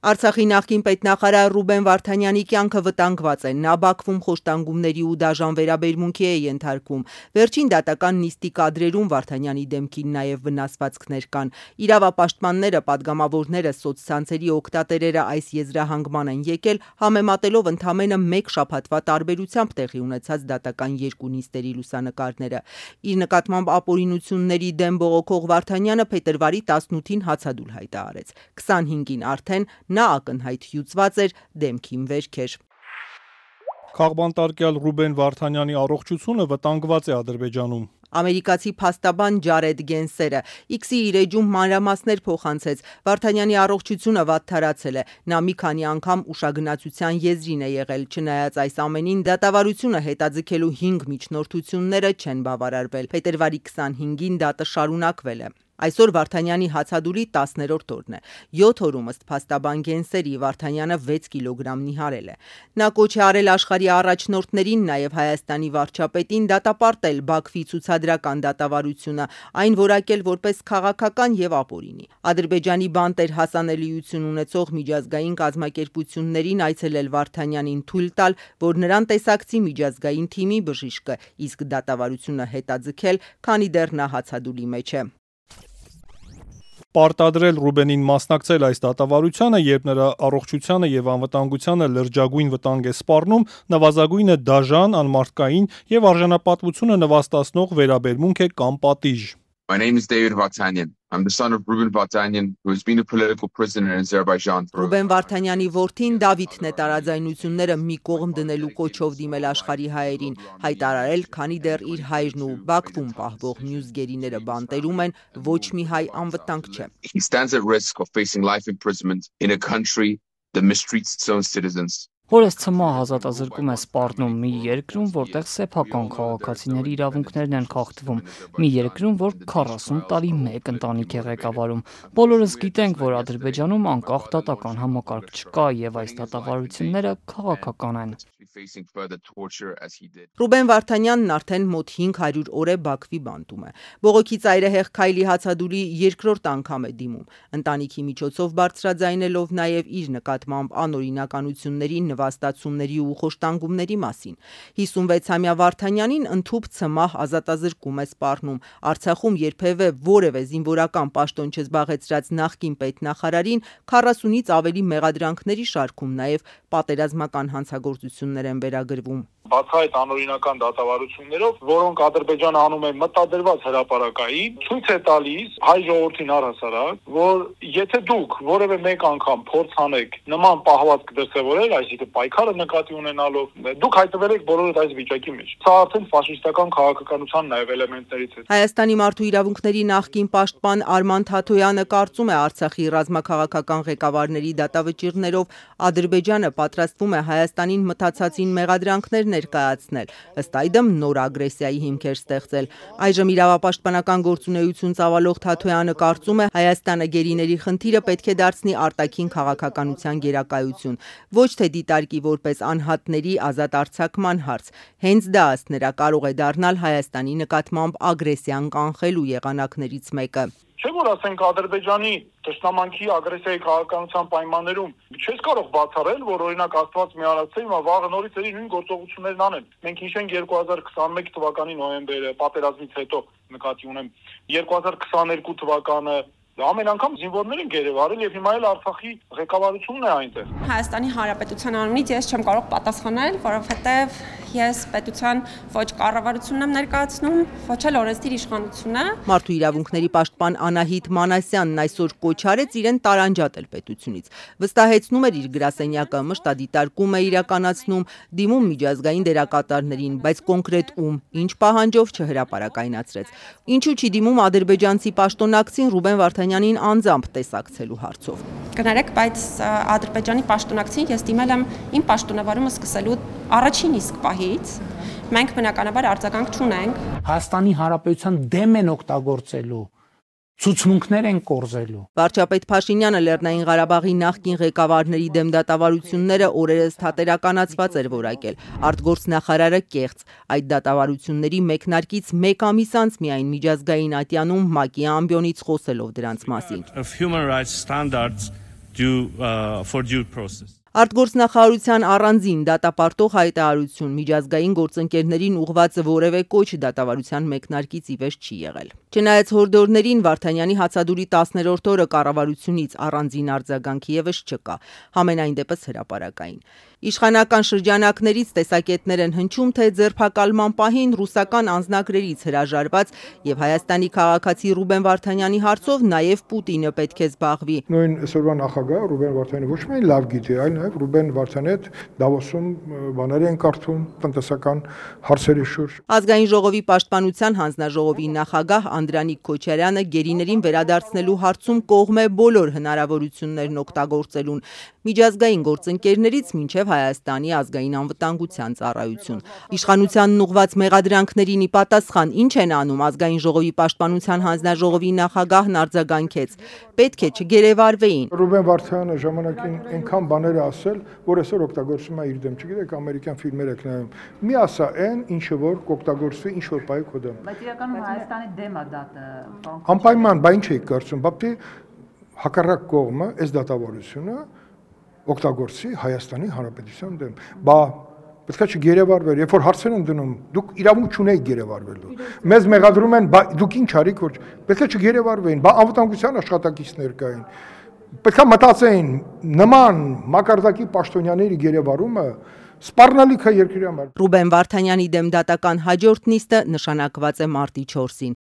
Արցախի նախկին պետնախարար Ռուբեն Վարդանյանի կյանքը վտանգված է։ Նա Բաքվում խոշտանգումների ու դաժան վերաբերմունքի է ենթարկվում։ Վերջին դատական նիստի կադրերում Վարդանյանի դեմքին նաև վնասվածքներ կան։ Իրավապաշտպանները, պատգամավորները, սոցցանցերի օգտատերերը այս եզրահանգման են եկել, համեմատելով ընդամենը մեկ շաբաթվա տարբերությամբ տեղի ունեցած դատական երկու նիստերի լուսանկարները։ Իր նկատմամբ ապօրինությունների դեմ բողոքող Վարդանյանը փետրվարի 18-ին հացադուլ հայտարարեց։ 25-ին արդեն նա ակնհայտ հյուծված էր, դեմքին վերք էր։ Քաղբանտարկյալ Ռուբեն Վարդանյանի առողջությունը վտանգված է Ադրբեջանում։ Ամերիկացի փաստաբան Ջարեդ Գենսերը X-ի իր էջում մանրամասներ փոխանցեց։ Վարդանյանի առողջությունը վատթարացել է։ Նա մի քանի անգամ ուշագնացության եզրին է եղել։ Չնայած այս ամենին, դատավարությունը հետաձգելու 5 միջնորդությունները չեն բավարարվել։ Փետրվարի 25-ին դատը շարունակվել է։ Այսօր Վարդանյանի հացադուլի 10-րդ օրն է։ 7 օրում ըստ փաստաբան Գենսերի Վարդանյանը 6 կիլոգրամ նիհարել է։ Նա կոչ է արել աշխարհի առաջնորդներին, նաև Հայաստանի վարչապետին դատապարտել Բաքվի ցուցադրական դատավարությունը, այն որակել որպես քաղաքական եւ ապօրինի։ Ադրբեջանի բանտեր հասանելիություն ունեցող միջազգային կազմակերպություններին այցելել Վարդանյանին թույլ տալ, որ նրան տեսակցի միջազգային թիմի բժիշկը, իսկ դատավարությունը հետաձգել, քանի դեռ նա հացադուլի մեջ է։ Պարտադրել Ռուբենին մասնակցել այս դատավարությանը, երբ նրա առողջությանը եւ անվտանգությանը լրջագույն վտանգ է սպառնում, նվազագույնը դաժան, անմարդկային եւ արժանապատվությունը նվաստացնող վերաբերմունք է կամ պատիժ։ My name is David Vartanyan. I'm the son of Ruben Vartanyan, who has been a political prisoner in Azerbaijan. Ռուբեն Վարդանյանի որդին Դավիթն է տարաձայնությունները մի կողմ դնելու կոչով դիմել աշխարհի հայերին, հայտարարել, քանի դեռ իր հայրն ու Բաքվում պահվող մյուս գերիները բանտերում են, ոչ մի հայ անվտանգ չէ։ He stands at risk of facing life imprisonment in a country that mistreats its own citizens. Որս ցմահ ազատազրկում է սպառնում մի երկրում, որտեղ սեփական քաղաքացիների իրավունքներն են խախտվում, մի երկրում, որ 40 տարի մեկ ընտանիք է ղեկավարում։ Բոլորս գիտենք, որ Ադրբեջանում անկախ դատական համակարգ չկա եւ այս դատավարությունները քաղաքական են։ Ռուբեն Վարդանյանն արդեն մոտ 500 օր է Բաքվի բանտում է։ Բողոքի ծայրահեղ քայլի հացադուլի երկրորդ անգամ է դիմում։ Ընտանիքի միջոցով բարձրաձայնելով նաև իր նկատմամբ անօրինականությունների, նվաստացումների ու խոշտանգումների մասին։ 56-ամյա Վարդանյանին ընդհուպ ցմահ ազատազրկում է սպառնում։ Արցախում երբևէ որևէ զինվորական պաշտոն չզբաղեցրած նախկին պետնախարարին 40-ից ավելի մեղադրանքների շարքում նաև պատերազմական հանցագործություններ են վերագրվում։ Բացահայտ անօրինական դատավարություններով, որոնք Ադրբեջանը անում է մտադրված հրապարակային, ցույց է տալիս հայ ժողովրդին առհասարակ, որ եթե դուք որևէ մեկ անգամ փորձ անեք նման պահվածք դրսևորել, այսինքն պայքարը նկատի ունենալով, դուք հայտնվել եք բոլորդ այս վիճակի մեջ։ Սա արդեն ֆաշիստական քաղաքականության նաև էլեմենտներից է։ Հայաստանի մարդու իրավունքների նախկին պաշտպան Արման Թաթոյանը կարծում է Արցախի ռազմաքաղաքական ղեկավարների դատավճիռներով Ադրբեջանը պատրաստվում է Հայաստանին մտածածին մեղադրանքներ ներկայացնել, ըստ այդմ նոր ագրեսիայի հիմքեր ստեղծել։ Այժմ իրավապաշտպանական գործունեություն ծավալող Թաթոյանը կարծում է Հայաստանը գերիների խնդիրը պետք է դարձնի արտաքին քաղաքականության գերակայություն, ոչ թե դիտարկի որպես անհատների ազատ արձակման հարց։ Հենց դա ըստ նրա կարող է դառնալ Հայաստանի նկատմամբ ագրեսիան կանխելու եղանակներից մեկը։ Չէ՞ որ ասենք Ադրբեջանի թշնամանքի ագրեսիայի քաղաքականության պայմաններում չես կարող բացառել, որ օրինակ Աստված միանացել հիմա վաղը նորից էլի նույն գործողություններն անեն։ Մենք հիշենք 2021 թվականի նոյեմբերը, պատերազմից հետո նկատի ունեմ 2022 թվականը ամեն անգամ զինվորներ են գերեվարել եւ հիմա էլ Արցախի ղեկավարությունն է այնտեղ։ Հայաստանի Հանրապետության անունից ես չեմ կարող պատասխանել, որովհետեւ ես պետության ոչ կառավարությունն եմ ներկայացնում, ոչ էլ օրենսդիր իշխանությունը։ Մարդու իրավունքների պաշտպան Անահիտ Մանասյանն այսօր կոչ արեց իրեն տարանջատել պետությունից։ Վստահեցնում էր իր գրասենյակը մշտադիտարկում է իրականացնում, դիմում միջազգային դերակատարներին, բայց կոնկրետ ում, ինչ պահանջով չհրապարակայնացրեց։ Ինչու չի դիմում ադրբեջանցի պաշտոնակցին Ռուբեն Վարդանյանին անձամբ տեսակցելու հարցով։ Կներեք, բայց Ադրբեջանի պաշտոնակցին ես դիմել եմ իմ պաշտոնավարումը սկսելու առաջին իսկ պահից։ Մենք բնականաբար արձագանք չունենք։ Հայաստանի Հանրապետության դեմ են օգտագործելու, ցուցմունքներ են կորզելու։ Վարչապետ Փաշինյանը Լեռնային Ղարաբաղի նախկին ղեկավարների դեմ դատավարությունները օրերս թատերականացված էր որակել։ Արտգործնախարարը կեղծ։ Այդ դատավարությունների մեկնարկից մեկ ամիս անց միայն միջազգային ատյանում ՄԱԿ-ի ամբիոնից խոսելով դրանց մասին։ for due process. Արտգործնախարարության առանձին դատապարտող հայտարարություն միջազգային գործընկերներին ուղղված որևէ կոչ դատավարության մեկնարկից ի վեր չի եղել։ Չնայած հորդորներին Վարդանյանի հացադուլի 10-րդ օրը կառավարությունից առանձին արձագանք եւս չկա, համենայն դեպս հրապարակային։ Իշխանական շրջանակներից տեսակետներ են հնչում, թե ձերբակալման պահին ռուսական անձնակրերից հրաժարված եւ Հայաստանի քաղաքացի Ռուբեն Վարդանյանի հարցով նաեւ Պուտինը պետք է զբաղվի։ Նույն այսօրվա նախագահ Ռուբեն Վարդանյանը ոչ միայն լավ գիտի, այլ նաեւ Ռուբեն Վարդանյանը Դավոսում բաներ են կարդում տնտեսական հարցերի շուրջ։ Ազգային ժողովի պաշտպանության հանձնաժողովի նախագահ Անդրանիկ Քոչարյանը գերիներին վերադարձնելու հարցում կողմ է բոլոր հնարավորություններն օգտագործելուն, միջազգային գործընկերներից մինչև Հայաստանի ազգային անվտանգության ծառայություն։ Իշխանությանն ուղված մեղադրանքներին ի պատասխան ինչ են անում ազգային ժողովի պաշտպանության հանձնաժողովի նախագահն արձագանքեց. պետք է չգերեվարվեին։ Ռուբեն Վարդանյանը ժամանակին այնքան բաներ ասել, որ այսօր օգտագործում է իր դեմ, չգիտեք, ամերիկյան ֆիլմեր եք նայում։ Մի ասա այն, ինչը որ կօգտագործվի ինչ որ բայ քո դեմ։ Բայց իրականում Հայաստանի դեմ է դա։ Անպայման, բա ինչ եք կարծում, բապտի հակառակ կողմը, այս դատավորությունը օգտագործի Հայաստանի Հանրապետության դեմ։ Բա պետք է չգերեվարվեր, երբ որ հարցեր են դնում, դուք իրավունք չունեք գերեվարվելու։ Մեզ մեղադրում են, բա դուք ինչ արիք, որ պետք է չգերեվարվեին, բա անվտանգության աշխատակիցներ կային։ Պետք է մտածեին նման մակարդակի պաշտոնյաների գերեվարումը սպառնալիք է երկրի համար։ Ռուբեն Վարդանյանի դեմ դատական հաջորդ նիստը նշանակված է մարտի 4-ին։